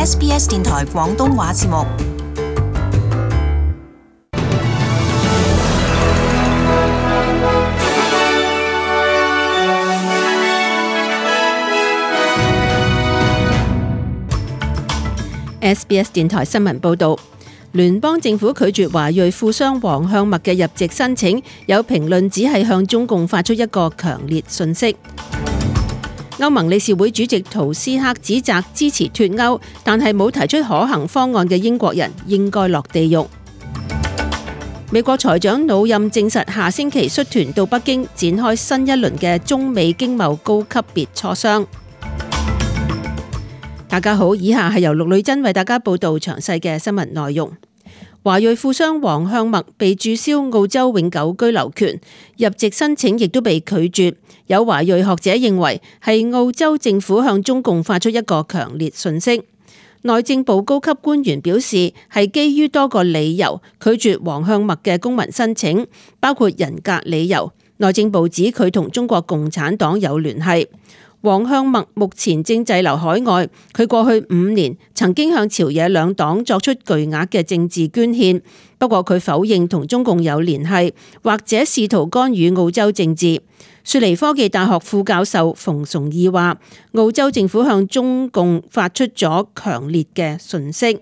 SBS 電台廣東話節目。SBS 電台新聞報導，聯邦政府拒絕華裔富商黃向墨嘅入籍申請，有評論只係向中共發出一個強烈訊息。歐盟理事會主席圖斯克指責支持脫歐，但係冇提出可行方案嘅英國人應該落地獄。美國財長魯任證實下星期率團到北京展開新一輪嘅中美經貿高級別磋商。大家好，以下係由陸女真為大家報道詳細嘅新聞內容。華裔富商黃向墨被註銷澳洲永久居留權，入籍申請亦都被拒絕。有華裔學者認為係澳洲政府向中共發出一個強烈訊息。內政部高級官員表示，係基於多個理由拒絕黃向墨嘅公民申請，包括人格理由。內政部指佢同中國共產黨有聯繫。黃向墨目前正滯留海外，佢過去5年曾經向朝野兩黨作出巨額嘅政治捐獻，不過佢否認同中共有聯繫，或者試圖干預澳洲政治。雪梨科技大學副教授馮崇義話，澳洲政府向中共發出咗強烈嘅訊息。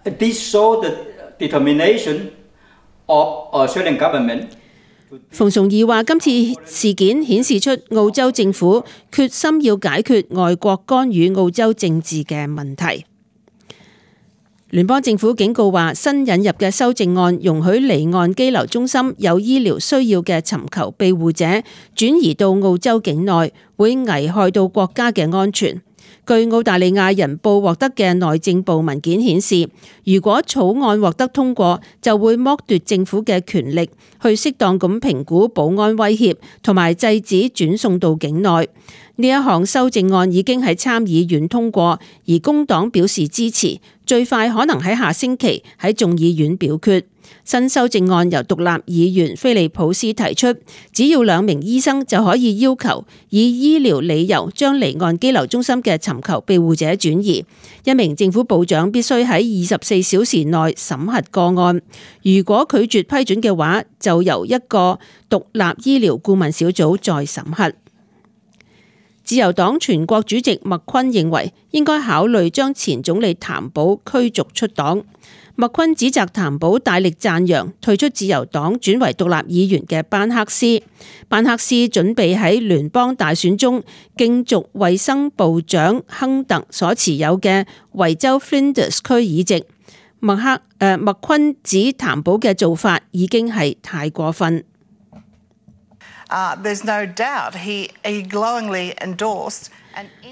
This showed the determination of Australian government。馮崇義話：今次事件顯示出澳洲政府決心要解決外國干預澳洲政治嘅問題。聯邦政府警告話，新引入嘅修正案容許離岸羈留中心有醫療需要嘅尋求庇護者轉移到澳洲境內，會危害到國家嘅安全。據澳大利亞人報獲得嘅內政部文件顯示，如果草案獲得通過，就會剝奪政府嘅權力去適當咁評估保安威脅同埋制止轉送到境內。呢一項修正案已經喺參議院通過，而工黨表示支持，最快可能喺下星期喺眾議院表決。新修正案由獨立議員菲利普斯提出，只要2名醫生就可以要求以醫療理由將離岸羈留中心嘅尋求庇護者轉移。1名政府部長必須喺24小時內審核個案，如果拒絕批准嘅話，就由一個獨立醫療顧問小組再審核。自由黨全國主席麥昆認為應該考慮將前總理譚寶驅逐出黨。麥昆指責譚寶大力讚揚退出自由黨轉為獨立議員嘅班克斯。班克斯準備喺聯邦大選中競逐衛生部長亨特所持有嘅維州 Flinders 區議席。麥昆指譚寶嘅做法已經係太過分。There's no doubt he glowingly endorsed。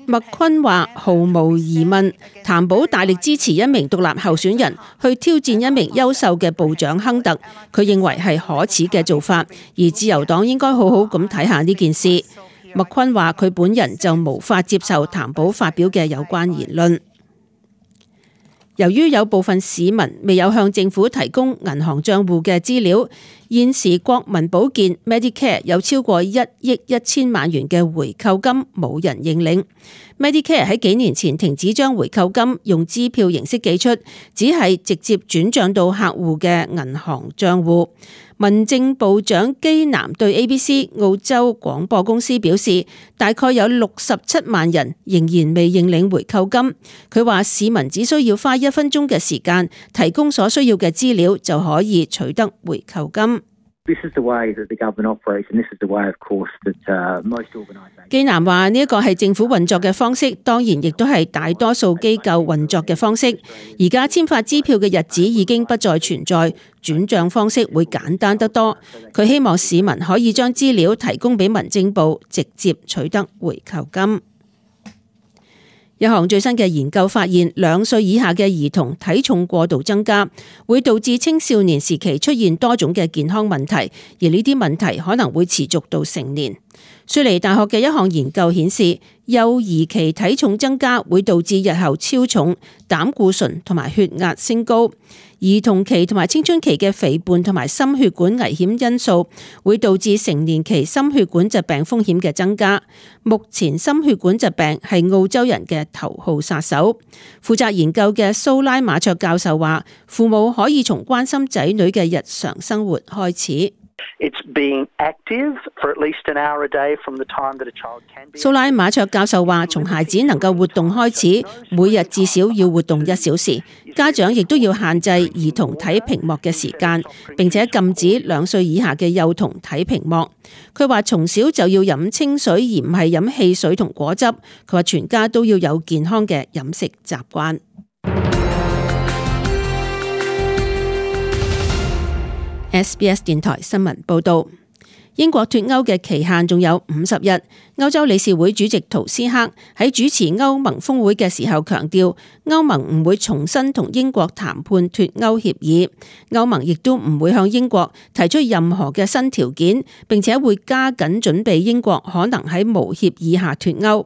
麥昆話：毫無疑問，譚寶大力支持一名獨立候選人去挑戰一名優秀嘅部長亨特，佢認為係可恥嘅做法，而自由黨應該好好咁睇下呢件事。麥昆話：佢本人就無法接受譚寶發表嘅有關言論。由於有部分市民未有向政府提供銀行帳戶嘅資料，現時國民保健 Medicare 有超過1億1000萬元嘅回扣金冇人認領。Medicare 喺幾年前停止將回扣金用支票形式寄出，只係直接轉帳到客戶嘅銀行帳戶。民政部長基南對 ABC 澳洲廣播公司表示，大概有67萬人仍然未認領回扣金。佢話市民只需要花1分鐘嘅時間，提供所需要嘅資料就可以取得回扣金。基南話呢一個係政府運作嘅方式，當然亦都係大多數機構運作嘅方式。而家簽發支票嘅日子已經不再存在，轉賬方式會簡單得多。佢希望市民可以將資料提供俾民政部，直接取得回扣金。一項最新嘅研究發現，2歲以下嘅兒童體重過度增加，會導致青少年時期出現多種嘅健康問題，而呢啲問題可能會持續到成年。雪梨大學嘅一項研究顯示，幼兒期體重增加會導致日後超重、膽固醇同埋血壓升高；兒童期同埋青春期嘅肥胖同埋心血管危險因素會導致成年期心血管疾病風險嘅增加。目前心血管疾病係澳洲人嘅頭號殺手。負責研究嘅蘇拉馬卓教授話，父母可以從關心仔女嘅日常生活開始。蘇拉馬卓教授話，從孩子能夠活動開始，每日至少要活動1小時。家長亦都要限制兒童睇屏幕嘅時間，並且禁止2歲以下嘅幼童睇屏幕。佢話從小就要飲清水，而唔係飲汽水同果汁。佢話全家都要有健康嘅飲食習慣。SBS 電台新聞報道，英國脫歐嘅期限仲有50日。歐洲理事會主席圖斯克喺主持歐盟峰會嘅時候強調，歐盟唔會重新同英國談判脫歐協議，歐盟亦都唔會向英國提出任何嘅新條件，並且會加緊準備英國可能喺無協議下脫歐。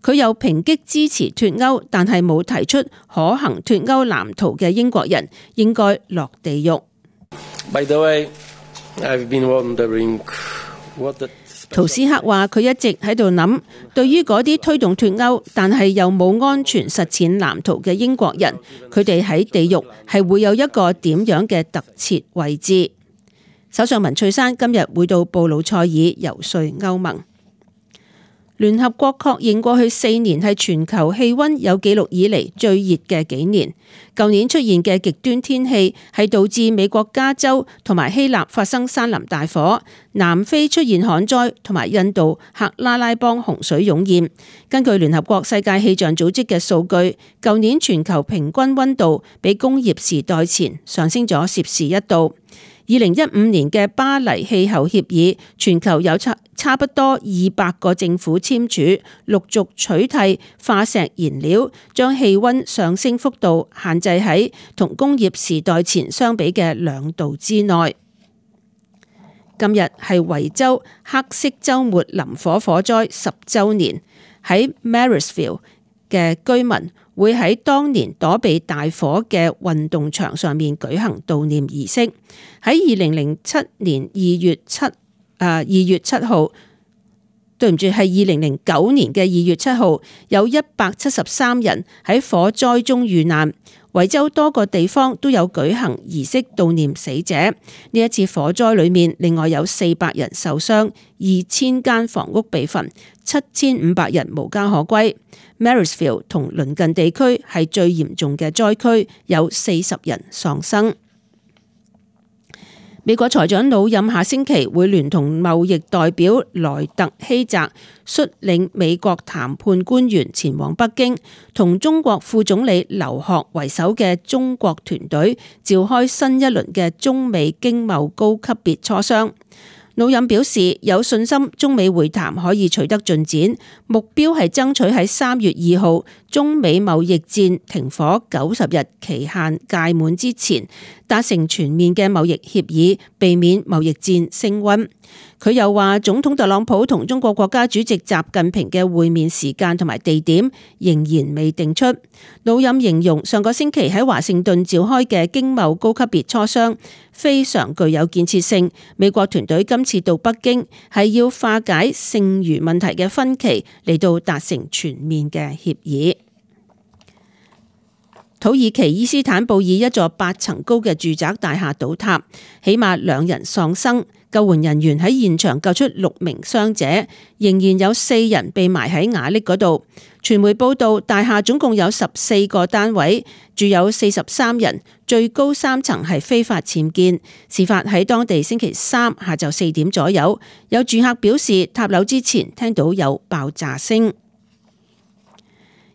佢又抨擊支持脫歐但係冇提出可行脫歐藍圖嘅英國人應該落地獄。By the way, I've been wondering what the... 圖斯克話：佢一直喺度諗，對於嗰啲推動脫歐但係又冇安全實踐藍圖嘅英國人，佢哋喺地獄係會有一個點樣嘅特設位置。首相文翠珊今日會到布魯塞爾遊說歐盟。聯合國確認過去4年係全球氣溫有紀錄以嚟最熱嘅幾年。舊年出現嘅極端天氣係導致美國加州同埋希臘發生山林大火，南非出現旱災，同埋印度克拉拉邦洪水湧現。根據聯合國世界氣象組織嘅數據，舊年全球平均溫度比工業時代前上升咗攝氏1度。2015年嘅巴黎氣候協議，全球有差不多200個政府簽署，陸續取締化石燃料，將氣溫上升幅度限制喺同工業時代前相比嘅2度之內。今日係維州黑色週末林火火災10週年，喺 Marysville 嘅居民會喺當年躲避大火嘅運動場上面舉行悼念儀式。喺2007年2月7號，對唔住，係2009年嘅2月7號，有173人喺火災中遇難。維州多個地方都有舉行儀式悼念死者。呢一次火災裏面，另外有400人受傷，2000間房屋被焚，7500人無家可歸。Marysville 同鄰近地區係最嚴重嘅災區，有40人喪生。美國財長魯任下星期會聯同貿易代表萊特希澤率領美國談判官員前往北京，同中國副總理劉鶴為首嘅中國團隊召開新一輪嘅中美經貿高級別磋商。魯任表示有信心中美會談可以取得進展，目標係爭取喺3月2號中美貿易戰停火90日期限屆滿之前達成全面嘅貿易協議，避免貿易戰升溫。佢又話，總統特朗普同中國國家主席習近平嘅會面時間同埋地點仍然未定出。魯任形容上個星期喺華盛頓召開嘅經貿高級別磋商非常具有建設性。美國團隊今次到北京係要化解剩餘問題嘅分歧，嚟到達成全面嘅協議。土耳其伊斯坦布爾一座8層高嘅住宅大廈倒塌，起碼2人喪生。救援人員喺現場救出6名傷者，仍然有4人被埋喺瓦礫嗰度。傳媒報道，大廈總共有14個單位，住有43人，最高3層係非法僭建。事發喺當地星期3下晝4點左右，有住客表示塔樓之前聽到有爆炸聲。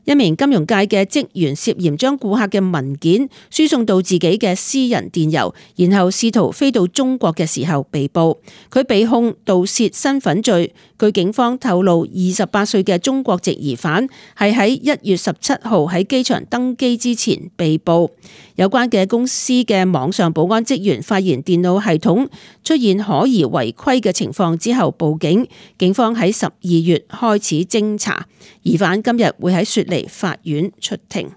一名金融界嘅職員涉嫌將顧客嘅文件輸送到自己嘅私人電郵，然後試圖飛到中國嘅時候被捕。佢被控盜竊身份罪。據警方透露，28歲嘅中國籍疑犯係喺1月17號喺機場登機之前被捕。有關嘅公司嘅網上保安職員發現電腦系統出現可疑違規嘅情況之後報警，警方喺12月開始偵查。疑犯今日會喺雪梨法院出庭。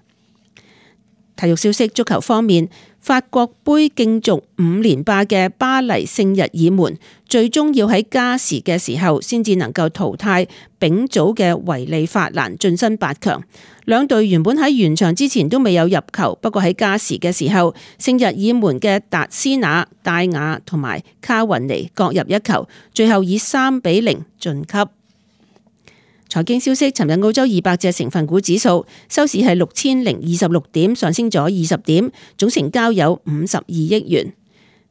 體育消息，足球方面，法國盃競逐5連霸嘅巴黎聖日耳門最終要喺加時嘅時候先至能夠淘汰丙組嘅維利法蘭晉身8強。兩隊原本喺完場之前都未有入球，不過喺加時嘅時候，聖日耳門嘅達斯納、戴雅同埋卡雲尼各入一球，最後以3-0晉級。財經消息，尋日澳洲200隻成分股指數收市係6026點，上升咗20點，總成交有52億元。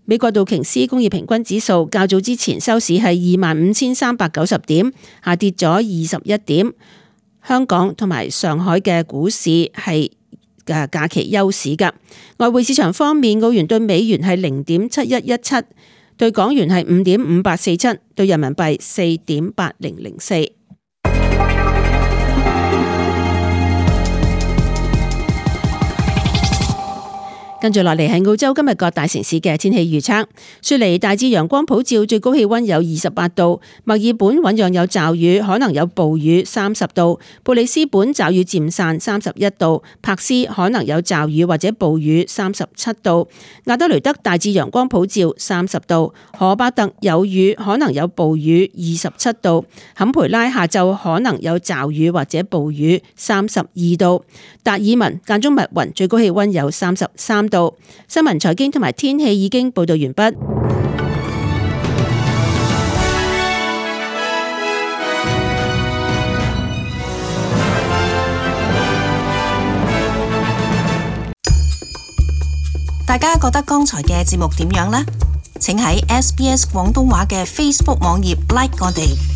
美國道瓊斯工業平均指數較早之前收市係25,390點，下跌咗21點。香港同埋上海嘅股市係假期休市㗎。外匯市場方面，澳元對美元係0.7117，對港元係5.5847，對人民幣4.8004。跟住落嚟係澳洲今日各大城市嘅天氣預測。雪梨大致陽光普照，最高氣溫有28度；墨爾本醞釀有驟雨，可能有暴雨，30度；布里斯本驟雨漸散，31度；柏斯可能有驟雨或者暴雨，37度；亞德雷德大致陽光普照，30度；荷巴特有雨，可能有暴雨，27度；坎培拉下晝可能有驟雨或者暴雨，32度；達爾文間中密雲，最高氣溫有33度。新聞、財經同埋天氣已經報道完畢。大家覺得剛才嘅節目點樣呢？請喺SBS 廣東話嘅 Facebook 網頁 like 我哋。